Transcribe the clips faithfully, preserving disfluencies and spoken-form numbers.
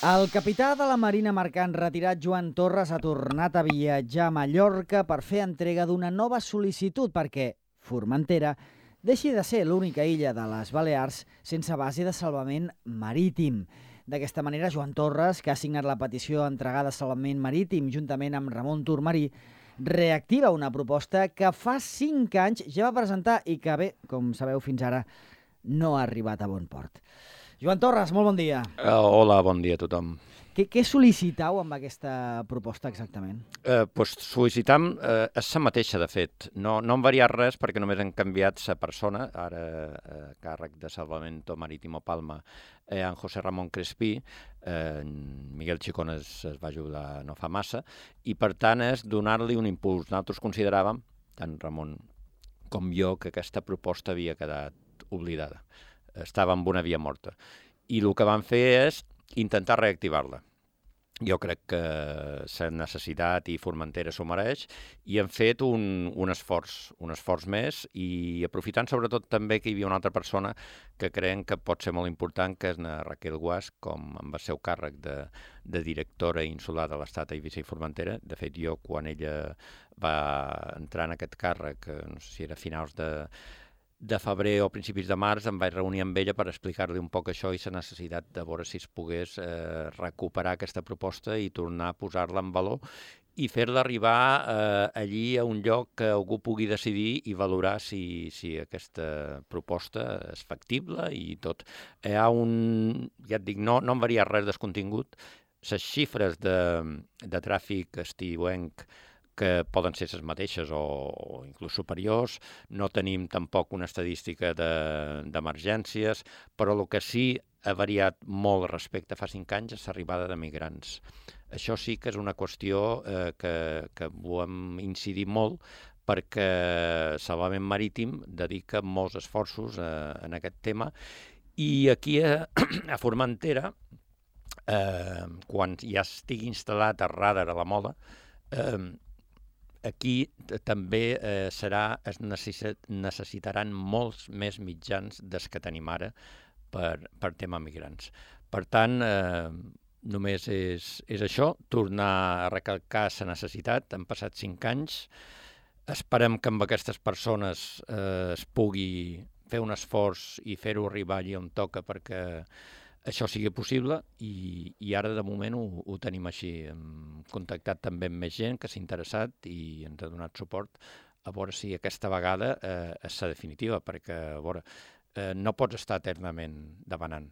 El capità de la Marina Mercant retirat Joan Torres ha tornat a viatjar a Mallorca per fer entrega d'una nova sol·licitud perquè Formentera deixi de ser l'única illa de les Balears sense base de salvament marítim. D'aquesta manera, Joan Torres, que ha signat la petició d'entregar de salvament marítim juntament amb Ramon Turmarí, reactiva una proposta que fa cinc anys ja va presentar i que, bé, com sabeu, fins ara no ha arribat a bon port. Joan Torres, molt bon dia. Uh, hola, bon dia a tothom. Què, què sol·licitau amb aquesta proposta exactament? Uh, pues sol·licitam uh, és la mateixa, de fet. No, no han variat res perquè només han canviat la persona, ara uh, càrrec de Salvamento Marítimo Palma, eh, en José Ramon Crespí, eh, Miguel Chicón es, es va ajudar no fa massa, i per tant és donar-li un impuls. Nosaltres consideràvem, tant Ramon com jo, que aquesta proposta havia quedat oblidada. Estava en una via morta. I el que van fer és intentar reactivar-la. Jo crec que s'ha necessitat i Formentera s'ho mereix i han fet un, un esforç, un esforç més i aprofitant sobretot també que hi havia una altra persona que creiem que pot ser molt important, que és na Raquel Guas, com amb el seu càrrec de, de directora insular de l'Estat a Eivissa i Formentera. De fet, jo, quan ella va entrar en aquest càrrec, no sé si era a finals de de febrer o principis de març, em vaig reunir amb ella per explicar-li un poc això i la necessitat de veure si es pogués eh, recuperar aquesta proposta i tornar a posar-la en valor i fer-la arribar eh, allí a un lloc que algú pugui decidir i valorar si, si aquesta proposta és factible i tot. Hi ha un, ja et dic, no, no han variat res del contingut. Les xifres de, de tràfic estiuenc que poden ser les mateixes o, o inclús superiors. No tenim tampoc una estadística d'emergències, de, però el que sí ha variat molt respecte a fa cinc anys és l'arribada de migrants. Això sí que és una qüestió eh, que, que volem incidir molt perquè Salvament Marítim dedica molts esforços eh, en aquest tema i aquí a, a Formentera, eh, quan ja estigui instal·lat el radar a la Mola, eh, aquí també eh, serà, es necessitaran molts més mitjans des que tenim ara per, per tema migrants. Per tant, eh, només és, és això, tornar a recalcar la necessitat. Han passat cinc anys. Esperem que amb aquestes persones eh, es pugui fer un esforç i fer-ho arribar allí on toca perquè això sigui possible i, i ara de moment ho, ho tenim així. Hem contactat també amb més gent que s'ha interessat i ens ha donat suport a veure si aquesta vegada eh, és la definitiva, perquè a veure, eh, no pots estar eternament demanant.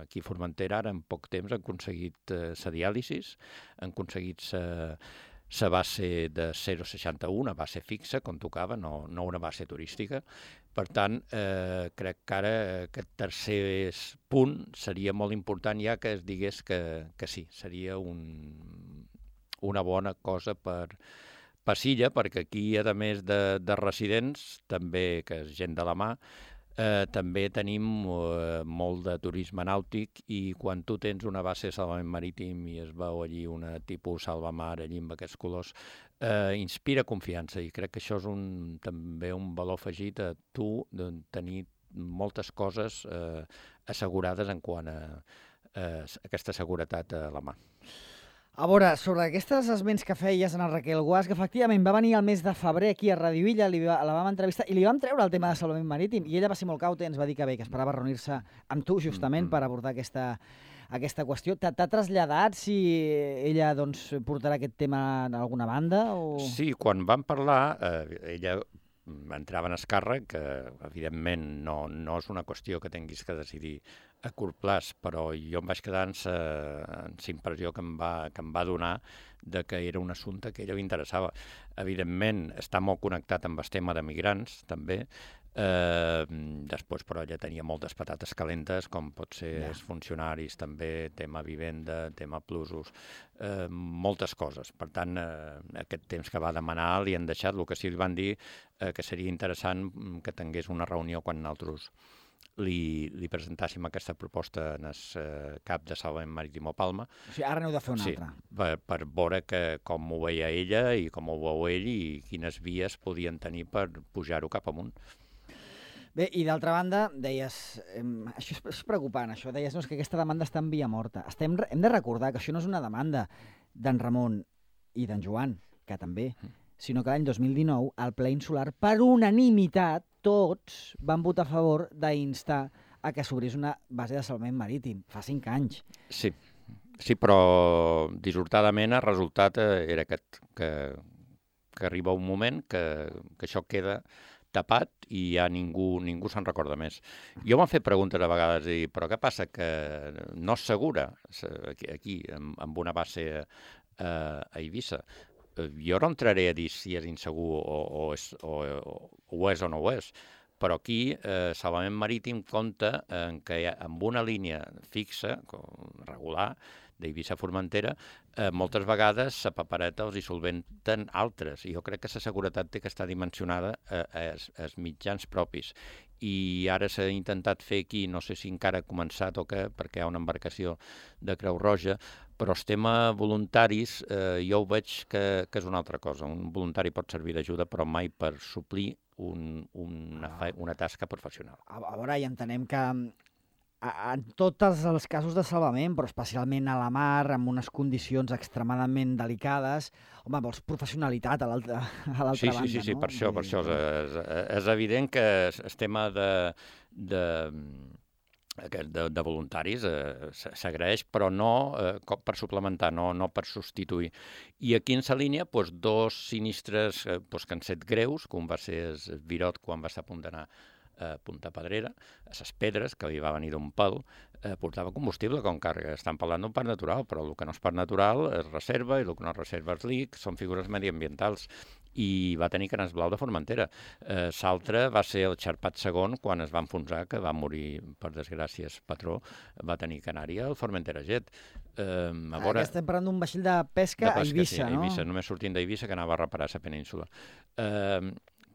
Aquí a Formentera ara en poc temps han aconseguit eh, la diàlisi, han aconseguit la base de zero coma seixanta u, una base fixa, com tocava, no, no una base turística. Per tant, eh, crec que ara aquest tercer punt seria molt important ja que es digués que, que sí, seria un, una bona cosa per, per Silla, perquè aquí, a més de, de residents, també, que és gent de la mà, eh, també tenim eh, molt de turisme nàutic i quan tu tens una base de salvament marítim i es veu allí una tipus salvamar allí amb aquests colors, Eh, inspira confiança i crec que això és un, també un valor afegit a tu de tenir moltes coses eh, assegurades en quant a, a aquesta seguretat a la mà. A veure, sobre aquestes esments que feies en el Raquel Guas, que efectivament va venir el mes de febrer aquí a Radio Illa, li va, la vam entrevistar i li vam treure el tema de salvament marítim i ella va ser molt cauta i ens va dir que bé, que esperava reunir-se amb tu justament mm-hmm. per abordar aquesta, aquesta qüestió. T'ha traslladat si ella doncs, portarà aquest tema a alguna banda? O... Sí, quan vam parlar, eh, ella entrava en escàrrec, que evidentment no, no és una qüestió que tinguis que decidir a curt plaç, però jo em vaig quedar amb la impressió que em, va, que em va donar de que era un assumpte que a ella li interessava. Evidentment, està molt connectat amb el tema de migrants, també. Eh, després, però, ella tenia moltes patates calentes, com pot ser ja. els funcionaris, també, tema vivenda, tema plusos, eh, moltes coses. Per tant, eh, aquest temps que va demanar li han deixat, el que sí li van dir eh, que seria interessant que tingués una reunió quan nosaltres li, li presentàssim aquesta proposta en el eh, cap de Salvament Marítimo Palma. O sigui, ara n'heu de fer una sí, altra. Per, per veure que, com ho veia ella i com ho veu ell i quines vies podien tenir per pujar-ho cap amunt. Bé, i d'altra banda, deies, eh, això és, és preocupant, això, deies no, és que aquesta demanda està en via morta. Estem, hem de recordar que això no és una demanda d'en Ramon i d'en Joan, que també, sinó que l'any dos mil dinou, al ple insular, per unanimitat, tots van votar a favor d'instar a que s'obrís una base de salvament marítim, fa cinc anys. Sí, sí, però dissortadament el resultat era aquest, que, que arriba un moment que, que això queda tapat i ja ningú, ningú se'n recorda més. Jo m'han fet preguntes a vegades, i, però què passa? Que no és segura aquí, aquí amb una base eh, a Eivissa. Jo no entraré a dir si és insegur o, o, és, o, o, o és o no ho és, però aquí eh, Salvament Marítim compta en que amb una línia fixa, regular, d'Eivissa a Formentera, eh, moltes vegades la papereta els hi solventen altres. I jo crec que la seguretat té que estar dimensionada a, a, a mitjans propis. I ara s'ha intentat fer aquí, no sé si encara ha començat o què, perquè hi ha una embarcació de Creu Roja, però el tema voluntaris eh, jo ho veig que, que és una altra cosa. Un voluntari pot servir d'ajuda, però mai per suplir un, una, una tasca professional. A, a veure, i entenem que en tots els casos de salvament, però especialment a la mar, amb unes condicions extremadament delicades, home, vols professionalitat a l'altra banda, sí, sí, sí, sí, no? per això, per això. És, és evident que el tema de, de, de, de voluntaris eh, s'agraeix, però no eh, per suplementar, no, no per substituir. I aquí en la línia, doncs, dos sinistres eh, doncs, que han set greus, com va ser el Virot quan va estar a punt d'anar a Punta Pedrera, a les pedres, que li va venir d'un pal, eh, portava combustible com càrrega. Estan parlant d'un parc natural, però el que no és parc natural es reserva i el que no es reserva és l'I C, són figures mediambientals. I va tenir Canes Blau de Formentera. Eh, L'altre va ser el Xarpat segon, quan es va enfonsar, que va morir, per desgràcia, el patró, va tenir Canària, el Formentera Jet. Eh, a veure... Ara estem parlant d'un vaixell de pesca, de pesca a Eivissa, sí, a Eivissa, no? Només sortint d'Eivissa, que anava a reparar la península. Eh,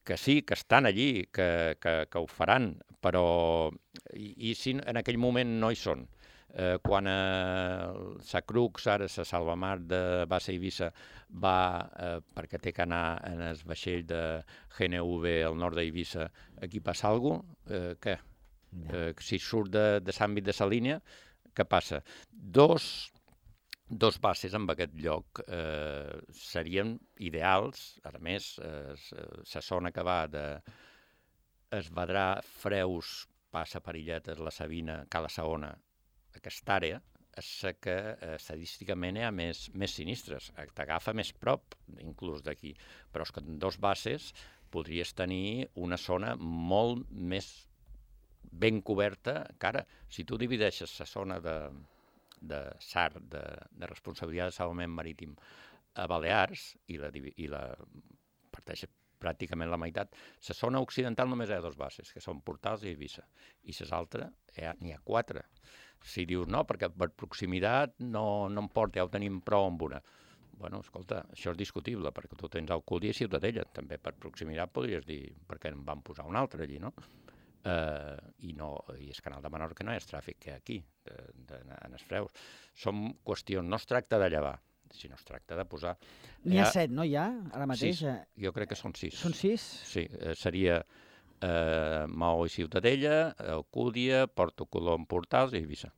que sí, que estan allí, que, que, que ho faran, però i, i si en aquell moment no hi són. Eh, quan eh, sa Crux, ara sa Salvamar de base Eivissa, va, eh, perquè té que anar en el vaixell de G N V al nord d'Eivissa, aquí passa alguna cosa? Eh, què? Eh, si surt de, de l'àmbit de la línia, què passa? Dos... Dos bases en aquest lloc eh, serien ideals. A més, eh, la zona que va de Esvedrà, Freus, passa per Illetes, la Sabina, Cala Saona, aquesta àrea és la que eh, estadísticament hi ha més, més sinistres. T'agafa més prop, inclús d'aquí. Però és que en dos bases podries tenir una zona molt més ben coberta que ara. Si tu divideixes la zona de... de S A R, de, de responsabilitat de salvament marítim a Balears, i la, i la parteix pràcticament la meitat, la zona occidental només hi ha dos bases, que són Portals i Eivissa, i les altres n'hi ha quatre. Si dius no, perquè per proximitat no, no em porta, ja ho tenim prou amb una. Bueno, escolta, això és discutible, perquè tu tens Alcúdia i Ciutadella, també per proximitat podries dir, perquè en van posar un altre allí, no? Uh, i no i el canal de Menorca no és tràfic que hi ha aquí de, de, en els Freus. Són qüestions, no es tracta de llevar, sinó es tracta de posar... N'hi ha set, no hi ha, ara mateix? Sis, jo crec que són sis. Són sis? Sí, eh, seria eh, Maó i Ciutadella, Alcúdia, Porto Colom, Portals i Eivissa.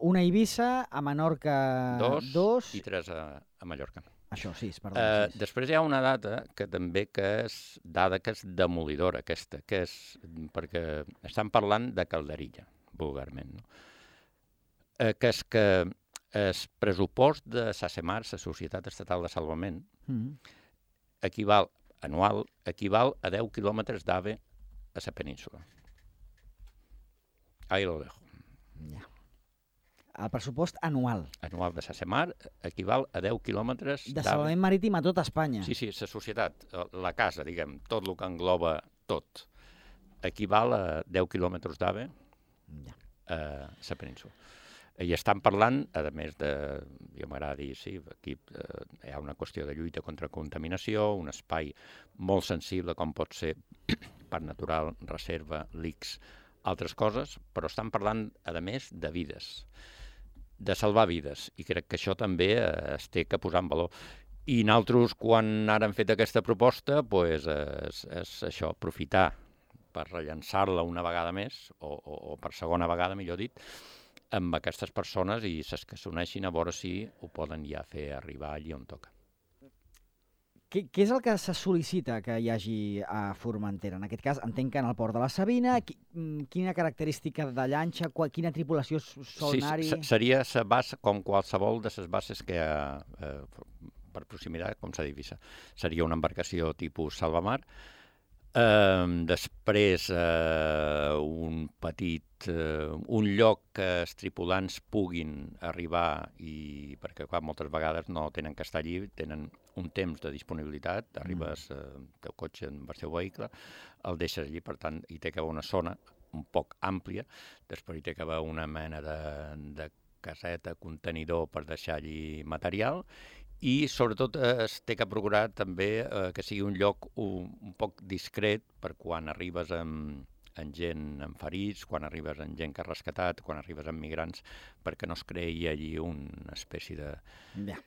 Una a Eivissa, a Menorca dos, dos... i tres a, a Mallorca. Això, sis, perdó. Uh, sis. Després hi ha una data que també que és dada que és demolidora, aquesta, que és perquè estan parlant de calderilla, vulgarment, no? Uh, que és que el pressupost de SACEMAR, la Societat Estatal de Salvament, mm-hmm. equival, anual, equival a deu quilòmetres d'AVE a la península. Ahí lo dejo. Ja. El pressupost anual. Anual de SACEMAR equival a deu quilòmetres de salvament marítim a tot Espanya. Sí, sí, la societat, la casa, diguem, tot el que engloba tot, equival a deu quilòmetres d'AVE ja. a la península. I estan parlant, a més de, jo m'agrada dir, sí, aquí eh, hi ha una qüestió de lluita contra contaminació, un espai molt sensible com pot ser parc natural, reserva, l'I C S, altres coses, però estan parlant, a més, de vides, de salvar vides, i crec que això també eh, es té que posar en valor. I nosaltres, quan ara hem fet aquesta proposta, pues, és, és això, aprofitar per rellençar-la una vegada més, o, o, o per segona vegada, millor dit, amb aquestes persones i ses que s'uneixin a veure si ho poden ja fer arribar allí on toca. Què, què és el que se sol·licita que hi hagi a Formentera? En aquest cas, entenc que en el port de la Sabina, qui, quina característica de llanxa, quina tripulació sol anar-hi? Sí, seria la base, com qualsevol de les bases que hi ha eh, per proximitat, com s'ha dit, seria una embarcació tipus salvamar. Eh, després, eh, un petit, eh, un lloc que els tripulants puguin arribar, i perquè clar, moltes vegades no tenen que estar allí, tenen un temps de disponibilitat, arribes eh, el teu cotxe amb el seu vehicle, el deixes allí, per tant, hi té que haver una zona un poc àmplia, després hi té que haver una mena de, de caseta, contenidor per deixar allí material, i sobretot eh, es té que procurar també eh, que sigui un lloc un, un poc discret per quan arribes amb, amb gent amb ferits, quan arribes amb gent que ha rescatat, quan arribes amb migrants, perquè no es creï allí una espècie de... Ja,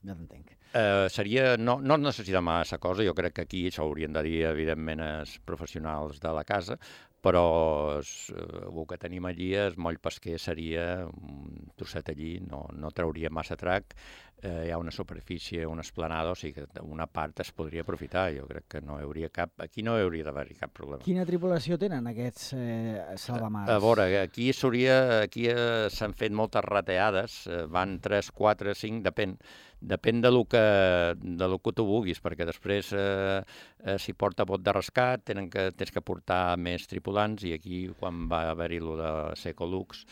ja t'entenc. Eh, seria, no, no necessita massa cosa, jo crec que aquí s'haurien de dir, evidentment, els professionals de la casa, però es, el que tenim allí, el moll pesquer seria un trosset allí, no, no trauria massa trac, eh, hi ha una superfície, una esplanada, o sigui que una part es podria aprofitar, jo crec que no hi hauria cap, aquí no hi hauria d'haver cap problema. Quina tripulació tenen aquests eh, salvamars? A, a veure, aquí s'hauria, aquí eh, s'han fet moltes rateades, eh, van tres, quatre, cinc, depèn, depèn de lo que, de lo que tu vulguis, perquè després eh, eh, s'hi porta bot de rescat, tenen que, tens que portar més tripulants, i aquí quan va haver-hi lo de Secolux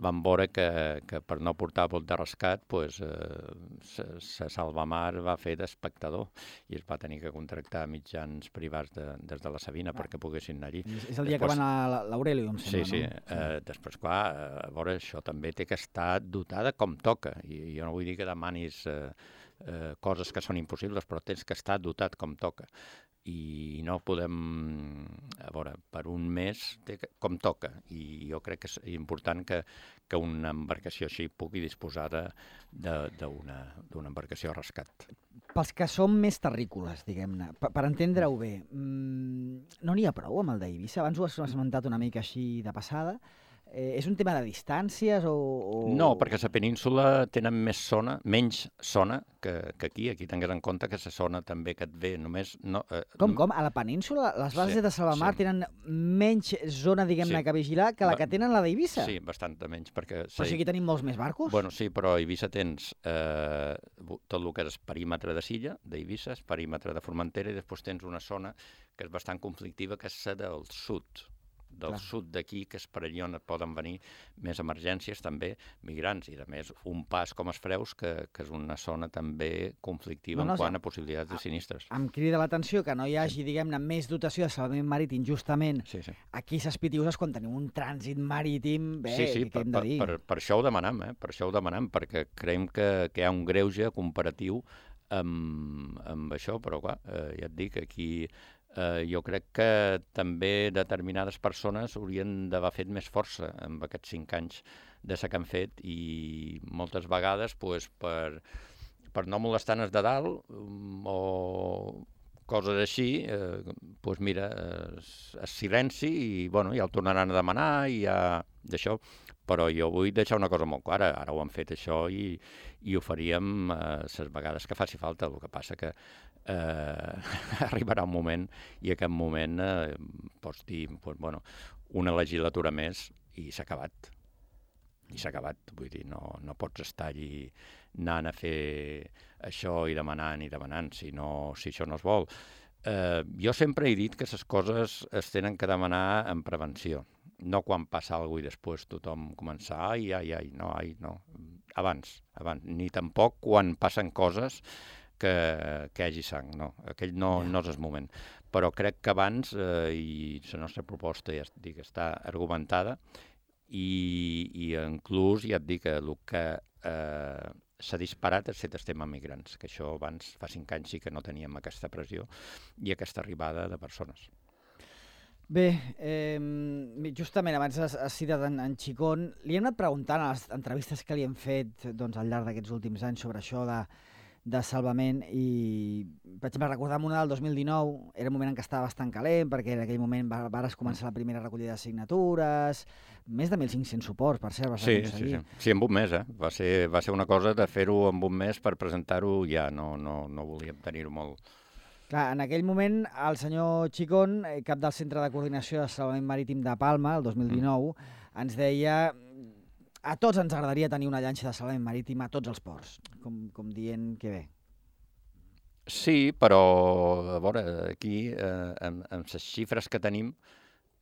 vam veure que, que per no portar bot de rescat pues, eh, se Salvamar va fer d'espectador i es va tenir que contractar mitjans privats de, des de la Sabina ah. perquè poguessin anar allí. És el dia després, que van a l'Aureli, em sembla, sí, sí. no? Sí, eh, després, clar, a veure, això també té que estar dotada com toca, i jo no vull dir que demanis eh, eh, coses que són impossibles, però tens que estar dotat com toca. I no podem, a veure, per un mes té que, com toca, i jo crec que és important que, que una embarcació així pugui disposar d'una embarcació a rescat. Pels que som més terrícoles, diguem-ne, per, per entendre-ho bé, mmm, no n'hi ha prou amb el d'Eivissa? Abans ho has esmentat una mica així de passada. Eh, és un tema de distàncies o, o...? No, perquè a la península tenen més zona, menys zona que, que aquí. Aquí tingues en compte que la zona també que et ve només... No, eh, com, com? A la península les bases sí, de Salvamar sí. tenen menys zona, diguem-ne, sí. que vigilar que la que tenen la d'Eivissa? Sí, bastant menys. Perquè, però sí, aquí tenim molts més barcos? Bueno, sí, però a Eivissa tens eh, tot el que és el perímetre de Silla, d'Eivissa, el perímetre de Formentera, i després tens una zona que és bastant conflictiva, que és la del sud. del Clar. sud d'aquí, que és per allà on poden venir més emergències, també migrants, i a més un pas com es Freus, que, que és una zona també conflictiva no, no, en quant a possibilitats de sinistres. Em crida l'atenció que no hi hagi, sí. diguem-ne, més dotació de salvament marítim justament sí, sí. aquí a ses Pitiüses, quan tenim un trànsit marítim, bé, sí, sí, què per, hem de dir? Per, per, per això ho demanem, eh? per això ho demanem, perquè creiem que, que hi ha un greuge comparatiu amb, amb això, però clar, eh, ja et dic, aquí Uh, jo crec que també determinades persones haurien d'haver fet més força amb aquests cinc anys de ser que han fet, i moltes vegades pues, per, per no molestar els de dalt um, o coses així, eh, pues mira, es, es silenci i bueno, ja el tornaran a demanar i ja d'això. Però jo vull deixar una cosa molt clara, ara ho han fet això i, i ho faríem les eh, vegades que faci falta. El que passa que eh, arribarà un moment i aquest moment eh, pots dir pues, bueno, una legislatura més i s'ha acabat. I s'ha acabat, vull dir, no, no pots estar allí anant a fer això i demanant i demanant, si, no, si això no es vol. Eh, jo sempre he dit que les coses es tenen que demanar en prevenció, no quan passa alguna cosa i després tothom començar, ai, ai, ai, no, ai, no, abans, abans, ni tampoc quan passen coses que, que hi hagi sang, no, aquell no, yeah. no és el moment. Però crec que abans, eh, i la nostra proposta ja dic, està argumentada, i, i inclús ja et dic que el que eh, s'ha disparat és el tema migrants, que això abans, fa cinc anys, sí que no teníem aquesta pressió i aquesta arribada de persones. Bé, eh, justament abans has, has citat en, en Chicón, li hem anat preguntant a les entrevistes que li hem fet doncs, al llarg d'aquests últims anys sobre això de, de salvament i, per exemple, recordam una del dos mil dinou, era un moment en què estava bastant calent, perquè en aquell moment va, vares començar la primera recollida de signatures, més de mil cinc-cents suports, per cert, vas sí, aconseguir. Sí, sí. Sí, en un mes, eh? Va ser, va ser una cosa de fer-ho en un mes per presentar-ho ja, no, no, no volíem tenir-ho molt. Clar, en aquell moment, el senyor Chicón, cap del Centre de Coordinació de Salvament Marítim de Palma, el dos mil dinou, mm. ens deia a tots ens agradaria tenir una llanxa de salvament marítim a tots els ports, com, com dient que bé. Sí, però, a veure, aquí, eh, amb, amb les xifres que tenim,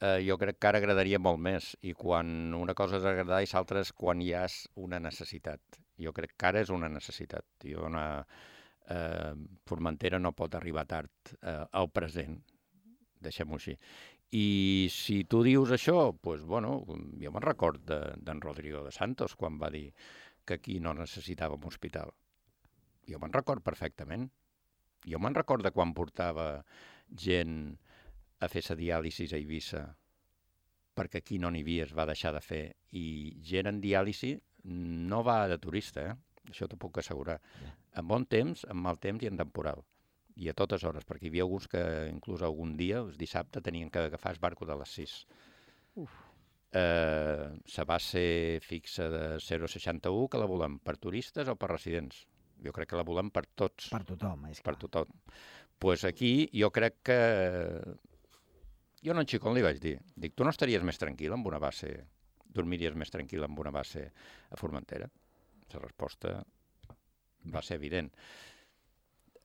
eh, jo crec que ara agradaria molt més, i quan una cosa és agradar i l'altra és quan hi ha una necessitat. Jo crec que ara és una necessitat. Jo una, eh, Formentera no pot arribar tard eh, al present, deixem-ho així. I si tu dius això, doncs, bueno, jo me'n record d'en de, Rodrigo de Santos quan va dir que aquí no necessitàvem hospital. Jo me'n record perfectament. Jo me'n record de quan portava gent a fer-se diàlisis a Eivissa perquè aquí no n'hi havia, es va deixar de fer. I gent en diàlisi no va de turista, eh? Això t'ho puc assegurar. En bon temps, en mal temps i en temporal. I a totes hores, perquè hi havia alguns que inclús algun dia, el dissabte, tenien que agafar el barco de les sis. Uf. Eh, la base fixa de zero coma seixanta-u, que la volem per turistes o per residents? Jo crec que la volem per tots. Per tothom, és clar. Per tothom. Doncs pues aquí jo crec que... Jo a en Chicón li vaig dir, dic, tu no estaries més tranquil amb una base, dormiries més tranquil amb una base a Formentera? La resposta va ser evident.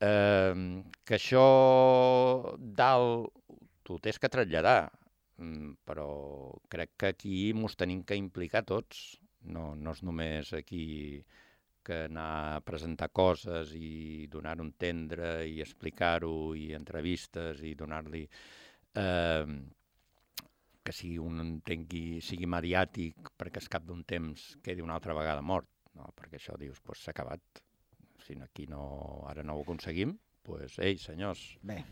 Eh, que això dalt t'ho tens que traslladar, però crec que aquí mos tenim que implicar tots. No, no és només aquí que anar a presentar coses i donar-ho a entendre i explicar-ho i entrevistes i donar-li eh, que sigui un entengui, sigui mediàtic perquè al cap d'un temps quedi una altra vegada mort, no? Perquè això dius, doncs s'ha acabat. Si aquí no, ara no ho aconseguim, doncs, ei, senyors. Bé,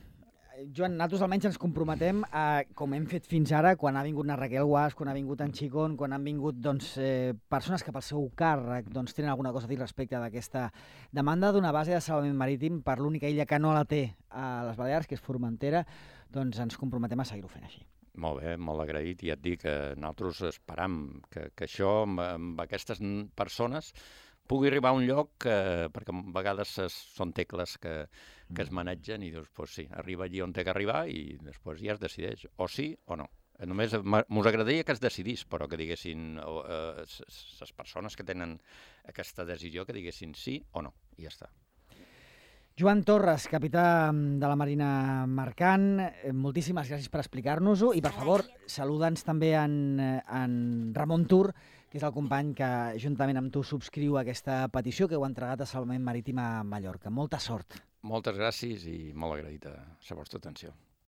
Joan, nosaltres almenys ens comprometem a, com hem fet fins ara, quan ha vingut na Raquel Guas, quan ha vingut en Chicón, quan han vingut doncs, eh, persones que pel seu càrrec doncs, tenen alguna cosa a dir respecte d'aquesta demanda d'una base de salvament marítim per l'única illa que no la té a les Balears, que és Formentera, doncs ens comprometem a seguir-ho fent així. Molt bé, molt agraït, i ja et dic que nosaltres esperam que, que això amb, amb aquestes persones pugui arribar a un lloc que, perquè a vegades es, són tecles que, que es manegen i dius, doncs sí, arriba allí on té que arribar i després ja es decideix, o sí o no. Només m'us agradaria que es decidís, però que diguessin les eh, persones que tenen aquesta decisió, que diguessin sí o no, i ja està. Joan Torres, capità de la Marina Mercant, moltíssimes gràcies per explicar-nos-ho i, per favor, saluda'ns també en, en Ramon Tur, que és el company que, juntament amb tu, subscriu aquesta petició que heu entregat a Salvament Marítim a Mallorca. Molta sort. Moltes gràcies i molt agraït a la vostra atenció.